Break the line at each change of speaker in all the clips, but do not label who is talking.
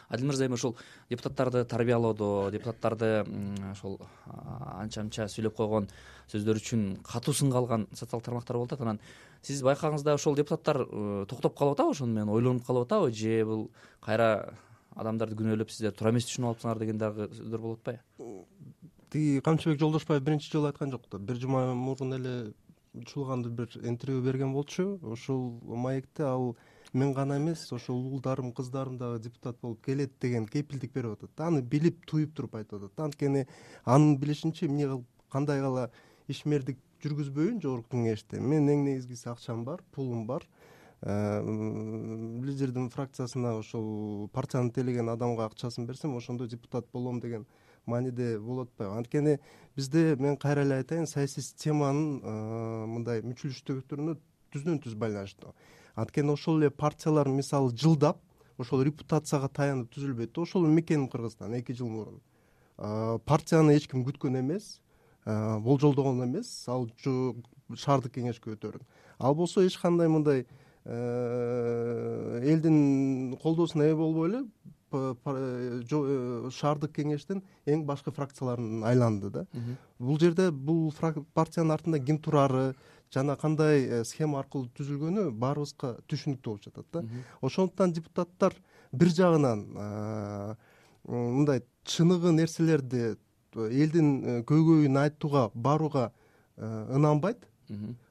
Адил мырза, эми ушул депутаттарды тарбиялоодо, депутаттарды ошол анча мынча сүйлөп койгон сөздөр үчүн катуу сынга алган социалдык тармактар болуп атат. Анан сиз байкагыңызда ошол депутаттар токтоп калып атабы, ошону менен ойлонуп калып атабы, же бул кайра адамдарды күнөөлөп сиздер туура эмес түшүнүп алыпсыңар деген дагы сөздөр болуп атпайбы?
Тиги Камчыбек Жолдошбаев биринчи жолу айткан жок да. Бир жума мурун эле учулганда бир интервью берген болчу. Ошол маекте ал мен гана эмес, ошол уулдарым, кыздарым дагы депутат болуп келет деген кепилдик берип атат. Аны билип, туюп туруп айтып атат. Анткени анын билишинче эмне кандай кала ишмердик жүргүзбөйүн жогорку кеңеште. Мен эң негизгиси акчам бар, пулум бар. Лидердин фракциясына ошол партияны тейлеген адамга акчасын берсем, ошондо депутат болом деген мааниде болуп атпайбы? Анткени бизде, мен кайра эле айтайын, саясий системанын мындай мүчүлүштүгүнө түздөн түз байланыштуу. Анткени ошол эле партиялар мисалы жылдап ошол репутацияга таянып түзүлбөйт. Ошол мекеним Кыргызстан 2 жыл мурун. Партияны эч ким күткөн эмес, болжолдогон эмес, ал шаардык кеңешке өтөрүн. Ал болсо эч кандай мындай элдин колдоосуна ээ болбой эле шаардык кеңештин эң башкы фракцияларын айланды да. Бул жерде бул партиянын артында ким турары жана кандай схема аркылуу түзүлгөнү баарыбызга түшүнүктүү болуп жатат да. Ошондуктан депутаттар бир жагынан мындай чыныгы нерселерди элдин көйгөйүн айтууга барууга ынанбайт.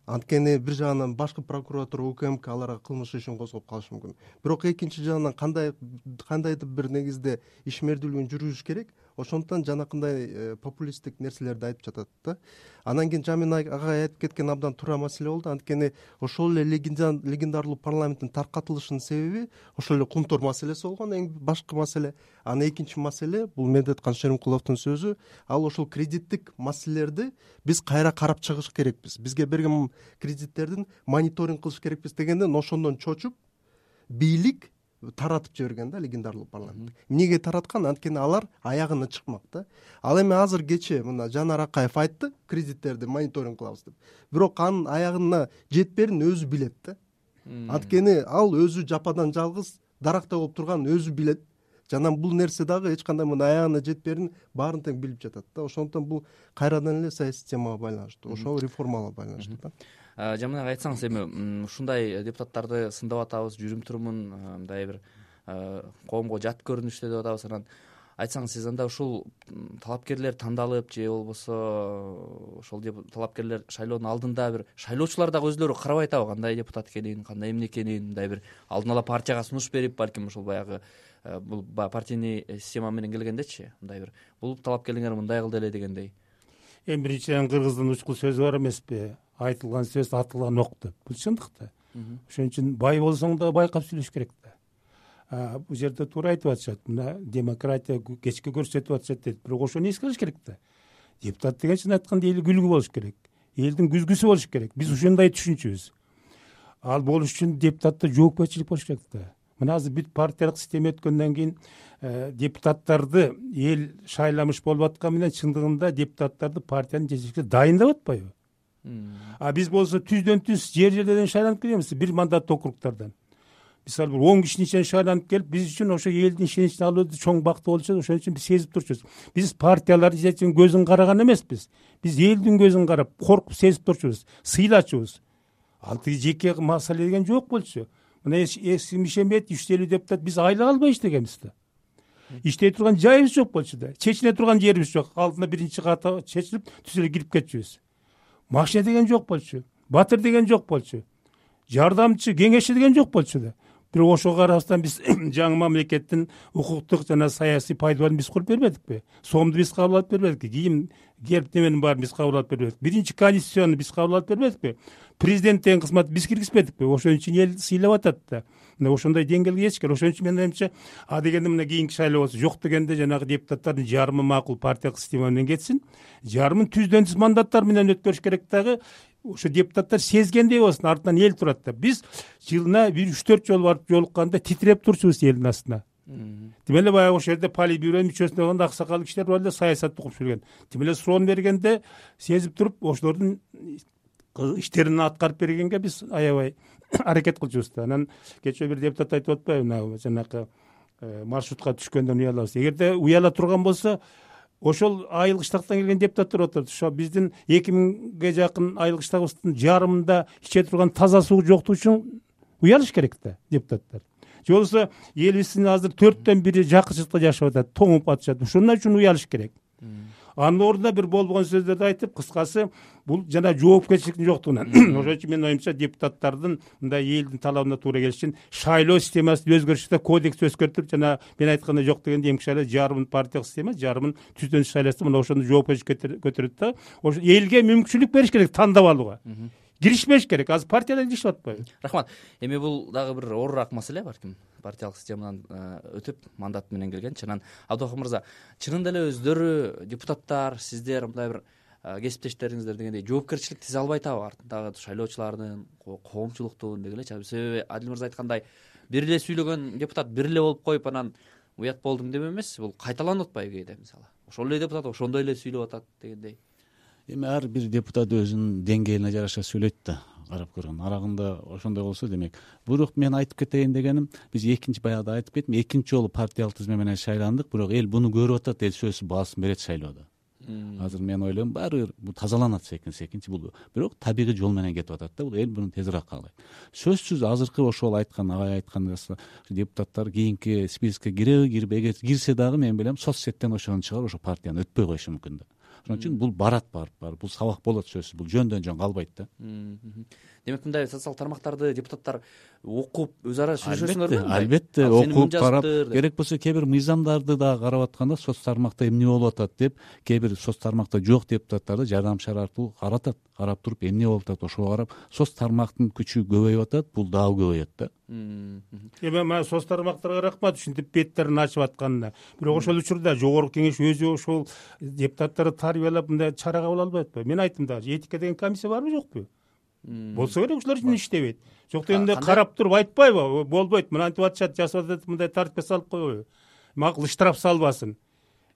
Анткени бир жагынан башкы прокуратура, УКМК аларга кылмыш ишин козгоп калышы мүмкүн. Бирок экинчи жагынан кандайдыр бир негизде ишмердүүлүгүн жүргүзүш керек. Ошондуктан жанакындай популисттик нерселерди айтып жатат да. Анан кийин Жамин агай айтып кеткен абдан туура маселе болду. Анткени ошол эле легендарлуу парламенттин таркатылышынын себеби ошол эле Кумтор маселеси болгон, эң башкы маселе. Анан экинчи маселе бул Медеткан Шеримкуловдун сөзү. Ал ошол кредиттик маселелерди биз кайра карап чыгыш керекпиз. Бизге берген кредиттердин мониторинг кылыш керекпиз дегенден ошондон чочуп бийлик таратып жиберген да легендарлуу парламент. Эмнеге тараткан? Анткени алар аягына чыкмак да. Ал эми азыр кечээ мына Жанар Акаев айтты, кредиттерди мониторинг кылабыз деп. Бирок анын аягына жетперин өзү билет да. Анткени ал өзү жападан жалгыз даракта болуп турганын өзү билет. Жана бул нерсе дагы эч кандай мына аягына жетперин баарын тең билип жатат да. Ошондуктан бул кайрадан эле саясий системага байланыштуу, ошол реформаларга байланыштуу да.
Жамин ага айтсаңыз, эми ушундай депутаттарды сындап атабыз, жүрүм турумун мындай бир коомго жат көрүнүштө деп атабыз. Анан айтсаңыз, сиз анда ушул талапкерлер тандалып же болбосо ошол талапкерлер шайлоонун алдында бир шайлоочулар дагы өзлөрү карабай атабы, кандай депутат экенин, кандай эмне экенин, мындай бир алдын ала партияга сунуш берип, балким ошол баягы бул партийный система менен келгендечи, мындай бир бул талапкерлиңер мындай кылды эле дегендей.
Эми биринчиден кыргыздын учкул сөзү бар эмеспи? Айтылган сөз атылган ок деп. Бул чындык да. Ошон үчүн бай болсоң да байкап сүйлөш керек да. Бул жерде туура айтып атышат. Мына демократия кечке көрсөтүп атышат дейт. Бирок ошону эске алыш керек да. Депутат деген чын айтканда эл күлгү болуш керек. Элдин күзгүсү болуш керек. Биз ушундай түшүнчүбүз. Ал болуш үчүн депутатта жоопкерчилик болуш керек да. Мына азыр бүт партиялык система өткөндөн кийин депутаттарды эл шайламыш болуп аткан менен чындыгында депутаттарды партиянын жетекчиси дайындап атпайбы? Биз болсо түздөн түз жер-жерлерден шайланып келебиз, бир мандаттуу округдардан. Мисалы бир 10 кишинин ичинен шайланып келип, биз үчүн ошо элдин ишеничин алуу чоң бактуу болчу. Ошон үчүн биз сезип турчубуз. Биз партиялардын жетекчинин көзүн караган эмеспиз. Биз элдин көзүн карап, коркуп сезип турчубуз, сыйлачубуз. Ал тиги жеке маселе деген жок болчу. Мына эски Ишембет 350 депутат биз айлык албай иштегенбиз да. Иштей турган жайыбыз жок болчу да. Чечине турган жерибиз жок. Алдына биринчи ката чечилип, түз эле кирип кетчүбүз. Машина деген жок болчу. Батыр деген жок болчу. Жардамчы, кеңешчи деген жок болчу да. Бирок ошого карабастан биз жаңы мамлекеттин укуктук жана саясий пайдаларын биз куруп бербедикпи? Сомду биз кабыл алып бербедикпи? Кийим герб неменин баарын биз кабыл алып бербедикпи? Биринчи конституцияны биз кабыл алып бербедикпи? Президенттин кызматын биз киргизбедикпи? Ошон үчүн эл сыйлап атат да. Мына ошондой деңгээлге жетиш керек. Ошон үчүн менин оюмча, дегенде мына кийинки шайлоо болсо жок дегенде жанагы депутаттардын жарымы макул партиялык система менен кетсин, жарымын түздөн түз мандаттар менен өткөрүш керек дагы. Ошо депутаттар сезгендей болсун, артынан эл турат да. Биз жылына 3-4 жолу барып жолукканда титиреп турчубуз элдин астына. Тим эле баягы ошол жерде политбюро мүчөсүнө болгондо аксакал кишилер бар эле, саясатты угуп жүргөн. Тим эле суроону бергенде сезип туруп, ошолордун иштерин аткарып бергенге биз аябай аракет кылчубуз да. Анан кечээ бир депутат айтып атпайбы, жанакы маршрутка түшкөндөн уялабыз. Эгерде уяла турган болсо, ошол айыл кыштактан келген депутаттар отурат. Ошо биздин 2000ге жакын айыл кыштагыбыздын жарымында иче турган таза суу жоктугу үчүн уялыш керек да депутаттар. Же болбосо элибиздин азыр 4төн 1 жакынчылыкта жашап атат, тоңуп атышат. Ошондон үчүн уялыш керек. Анын ордуна бир болбогон сөздөрдү айтып, кыскасы бул жана жоопкерчиликтин жоктугунан. Ошон үчүн менин оюмча депутаттардын мындай элдин талабына туура келиш үчүн шайлоо системасына өзгөрүш жасап, кодекс өзгөртүп, жана мен айткандай жок дегенде эмки шайлоо жарымын партиялык система, жарымын түздөн шайласа, мына ошону жоопкерчиликке көтөрөт да. Ошо элге мүмкүнчүлүк бериш керек тандап алууга. Киришпеш керек. Азыр партиялар киришип атпайбы?
Рахмат. Эми бул дагы бир оорураак маселе, балким партиялык системадан өтүп мандат менен келген. Чынан Абдыкалык мырза, чынында эле өздөрү депутаттар, сиздер мындай бир кесиптештериңиздер дегендей жоопкерчилик тизе албай атабы артындагы шайлоочулардын, коомчулуктун деги элечи. Себеби Адил мырза айткандай, бир эле сүйлөгөн депутат бир эле болуп коюп анан уят болдум деп эмес, бул кайталанып атпайбы кээде мисалы. Ошол эле депутат ошондой эле сүйлөп атат дегендей.
Эми ар бир депутат өзүнүн деңгээлине жараша сүйлөйт да, карап көргөн. Арагында ошондой болсо демек. Бирок мен айтып кетейин дегеним, биз экинчи баягыда айтып кеттим, экинчи жолу партиялык тизме менен шайландык, бирок эл буну көрүп атат, эл сөзсүз баасын берет шайлоодо. Азыр мен ойлойм, баары бул тазаланат секинчи бул. Бирок табигый жол менен кетип атат да, бул эл буну тезирээк каалайт. Сөзсүз азыркы ошол айткан, агай айткан депутаттар кийинки спискке киреби, кирбейби, эгер кирсе дагы мен билем соц сеттен ошону чыгарып, ошо партияны өтпөй коюшу мүмкүн да. Ошон үчүн бул барат бул сабак болот сөзсүз, бул жөндөн жөн калбайт да.
Демек мындай социалдык тармактарды депутаттар окуп өз ара сүйлөшөсүңөрбү?
Албетте, окуп карап, керек болсо кээ бир мыйзамдарды да карап атканда соц тармакта эмне болуп атат деп, кээ бир соц тармакта жок депутаттарды жардамчылар аркылуу каратат, карап туруп эмне болуп атат, ошого карап соц тармактын күчү көбөйүп атат, бул дагы көбөйөт да.
Эми мына соц тармактарга рахмат, ушинтип беттерин ачып атканына. Бирок ошол учурда жогорку кеңеш өзү ошол депутаттарды тарбиялап мындай чара кабыл албай атпайбы? Мен айттым да, этика деген комиссия барбы жокпу? Болсо керек, ушулар үчүн иштебейт. Жок дегенде карап туруп айтпайбы? Болбойт, мынантип атышат, жасап атат, мындай тартипке салып койбойбу? Макул штраф салбасын.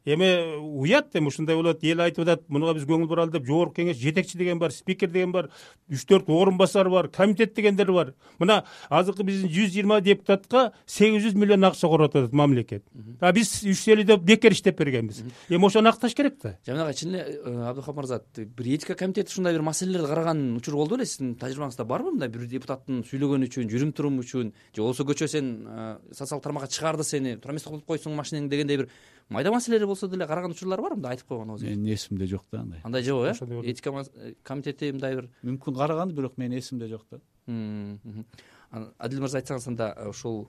Эми уят, эми ушундай болот, эл айтып атат, мунуга биз көңүл буралы деп, жогорку кеңеш жетекчи деген бар, спикер деген бар, 3-4 орун басар бар, комитет дегендер бар. Мына азыркы биздин 120 депутатка 800 миллион акча коротуп атат мамлекет. А биз 350 деп бекер иштеп бергенбиз. Эми ошону акташ керек да.
Жаманагай, чын эле Абдыкалык мырза, бир этика комитети ушундай бир маселелерди караган учур болду беле? Сиздин тажрыйбаңызда барбы мындай бир депутаттын сүйлөгөнү үчүн, жүрүм-туруму үчүн, же болбосо көчө сен социалдык тармакка чыгарды сени, тура эмес кылып койсуң машинең дегендей бир майда маселелер болсо деле караган учурлар барбы? Мындай айтып койгон өзү.
Менин эсимде жок да андай.
Андай жок э? Этика комитети мындай бир
мүмкүн караган, бирок менин эсимде жок да.
Адил мырза айтсаңыз анда ушул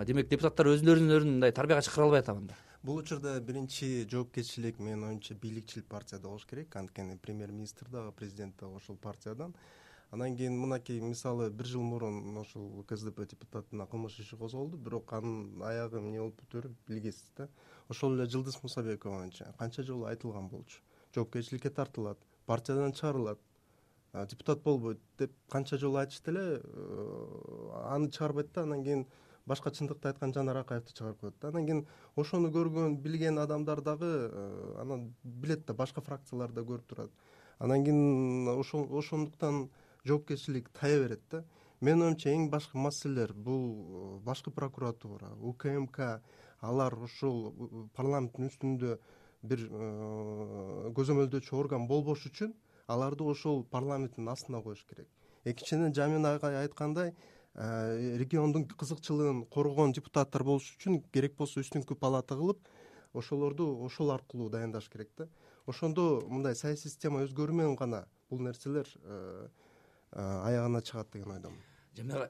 демек депутаттар өзүлөрүн мындай тарбияга чакыра албай атабы анда?
Бул учурда биринчи жоопкерчилик менин оюмча бийликчил партияда болуш керек. Анткени премьер-министр дагы, президент дагы ошол партиядан. Анан кийин мынакей мисалы 1 жыл мурун ошол КСДП депутатына кылмыш иши козголду, бирок анын аягы эмне болуп бүтөөрүн билгесиз да. Ошол эле Жылдыз Мусабекованча канча жолу айтылган болчу. Жоопкерчиликке тартылат, партиядан чыгарылат, депутат болбойт деп канча жолу айтышты эле, аны чыгарбайт да, анан кийин башка чындыкты айткан Жанар Акаевди чыгарып коет да. Анан кийин ошону көргөн, билген адамдар дагы анан билет да, башка фракциялар да көрүп турат. Анан кийин ошондуктан жоопкерчилик тая берет да. Менин оюмча эң башкы маселелер бул башкы прокуратура, УКМК, алар ушул парламенттин үстүндө бир көзөмөлдөөчү орган болбош үчүн аларды ошол парламенттин астына коюш керек. Экинчиден, Жамин агай айткандай, региондун кызыкчылыгын коргогон депутаттар болуш үчүн керек болсо үстүңкү палата кылып, ошолорду ошол аркылуу дайындаш керек да. Ошондо мындай саясий система өзгөрүү менен гана бул нерселер аягына чыгат деген ойдомун.
Жамин агай,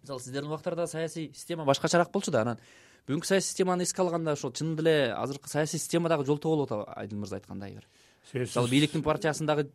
мисалы сиздердин убактарда саясий система башкачараак болчу да, анан бүгүнкү саясий системаны эске алганда ошол чын эле азыркы саясий система дагы жолтоо болуп атабы? Адил мырза айткандай бир. Мисалы бийликтин партиясындагы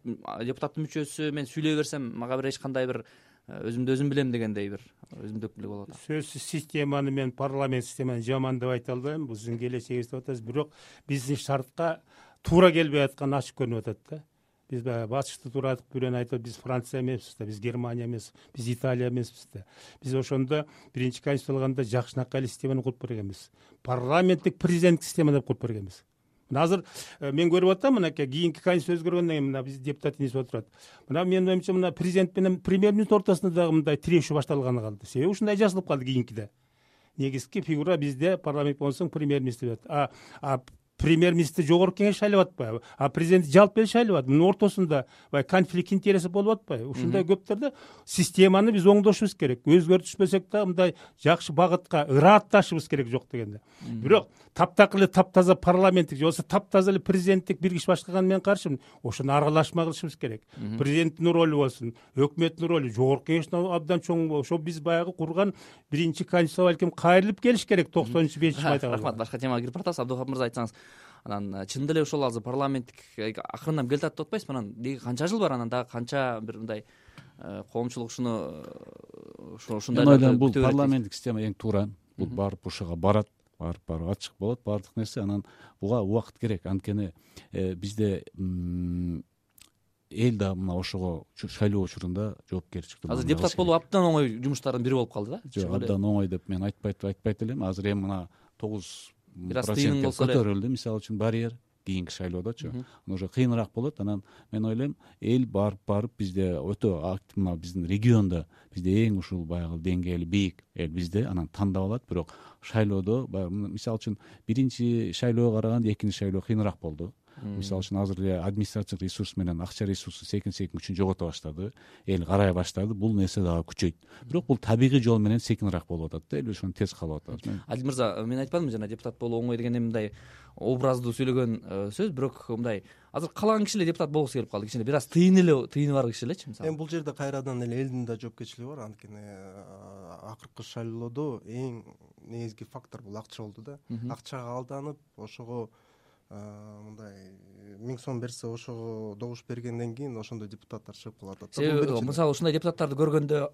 депутаттын мүчөсү мен сүйлөй берсем мага бир эч кандай бир өзүмдү өзүм билем дегендей бир өзүмдүктүк болуп атат.
Сөзсүз системаны мен парламент системаны жаман деп айта албайм. Бул сиздин келечегиңиз деп атасыз, бирок биздин шартка туура келбей атканы ачык көрүнүп атат да. Биз баягы ачыкты турадык, бирөөнү айтып, биз Франция эмеспиз да, биз Германия эмеспиз, биз Италия эмеспиз да. Биз ошондо биринчи конституция алганда жакшынакай эле системаны куруп бергенбиз. Парламенттик президенттик система деп куруп бергенбиз. Мына азыр мен көрүп атам, мынакей кийинки конституция өзгөргөндөн кийин мына биз депутат инип отурат. Мына менин оюмча мына президент менен премьер-министр ортосунда дагы мындай тирешүү башталганы калды. Себеби ушундай жазылып калды кийинкиде. негизги фигура бизде парламент болсоң премьер министр болот. Премьер министр жогорку кеңеш шайлап атпайбы, президент жалпы эле шайлап атат. Мунун ортосунда баягы конфликт интереси болуп атпайбы? Ушундай көптөрдө системаны биз оңдошубуз керек. Өзгөртүшпөсөк да мындай жакшы багытка ыраатташыбыз керек жок дегенде. Бирок таптакыр эле таптаза парламенттик же болбосо таптаза эле президенттик бир киши башкарганы мен каршымын. Ошону аралашма кылышыбыз керек. Президенттин ролу болсун, өкмөттүн ролу, жогорку кеңештин абдан чоң. Ошо биз баягы курган биринчи конституция балким кайрылып келиш керек 95-5 майда.
Рахмат. Башка темага кирип баратабыз. Абдухап мырза, айтсаңыз, анан чындап эле ошол азыр парламенттик акырындан келе жатат деп атпайсызбы? Анан деги канча жыл бар, анан дагы канча бир мындай коомчулук ушундай
мен ойлойм бул парламенттик система эң туура. Бул барып ушуга барат, барып ачык болот баардык нерсе. Анан буга убакыт керек. Анткени бизде эл да мына ошого шайлоо учурунда жоопкерчиликти.
Азыр депутат болуу абдан оңой жумуштардын бири болуп калды да.
Жок, абдан оңой деп мен айтпайт элем. Азыр эми мына 9% көтөрүлдү, мисалы үчүн барьер кийинки шайлоодочу. Уже кыйыныраак болот. Анан мен ойлойм эл барып бизде өтө активно, биздин региондо бизде эң ушул баягы деңгээли бийик эл бизде, анан тандап алат. Бирок шайлоодо мисалы үчүн биринчи шайлоого караганда экинчи шайлоо кыйыныраак болду. Мисалы үчүн азыр эле административдик ресурс менен акча ресурсу секин күчүн жогото баштады, эл карай баштады. Бул нерсе дагы күчөйт. Бирок бул табигый жол менен секинраак болуп атат да, эл ошону тез каалап атат.
Адил мырза, мен айтпадымбы жана депутат болуу оңой деген мындай образдуу сүйлөгөн сөз, бирок мындай азыр каалаган киши эле депутат болгусу келип калды. Кичине бир аз тыйыны бар киши элечи мисалы.
Эми бул жерде кайрадан эле элдин да жоопкерчилиги бар. Анткени акыркы шайлоодо эң негизги фактор бул акча болду да. Акчага алданып, ошого мындай 1000 сом берсе ошого добуш бергенден кийин ошондой депутаттар чыгып калат.
Мисалы ушундай депутаттарды көргөндө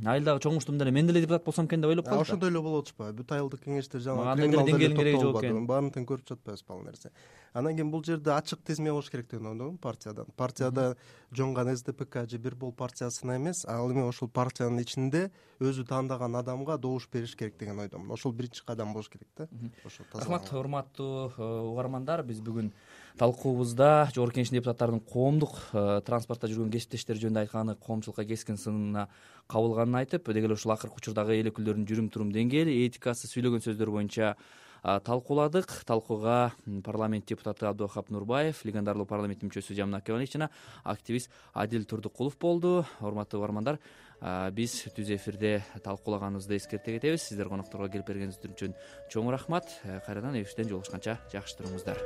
айылдагы чоңуштум деле мен деле депутат болсом экен деп ойлоп калат.
Ошондой эле болуп атышпайбы? Бүт айылдык кеңештер жаңы
андай деңгээлдин кереги жок экен.
Баарын тең көрүп жатпайбызбы ал нерсе? Анан кийин бул жерде ачык тизме болуш керек деп ойлойм партиядан. Партияда жоңган СДПК же бир бул партиясына эмес, ал эми ошол партиянын ичинде өзү тандаган адамга добуш бериш керек деген ойдомун. Ошол биринчи кадам болуш керек да.
Рахмат, урматтуу угармандар. Биз бүгүн талкуубузда жогорку кеңештин депутаттарынын коомдук транспортто жүргөн кесиптештери жөнүндө айтканы коомчулукка кескин сынына кабылганын айтып, деги эле ушул акыркы учурдагы эл өкүлдөрүнүн жүрүм турум деңгээли, этикасы, сүйлөгөн сөздөр боюнча талкууладык. Талкууга парламент депутаты Абдухап Нурбаев, легендарлуу парламент мүчөсү Жамин Акебалиевич жана активист Адил Турдукулов болду. Урматтуу угармандар, биз түз эфирде талкуулаганыбызды эскерте кетебиз. Сиздер конокторго келип бергениңиз үчүн чоң рахмат. Кайрадан эфирден жолугушканча жакшы туруңуздар.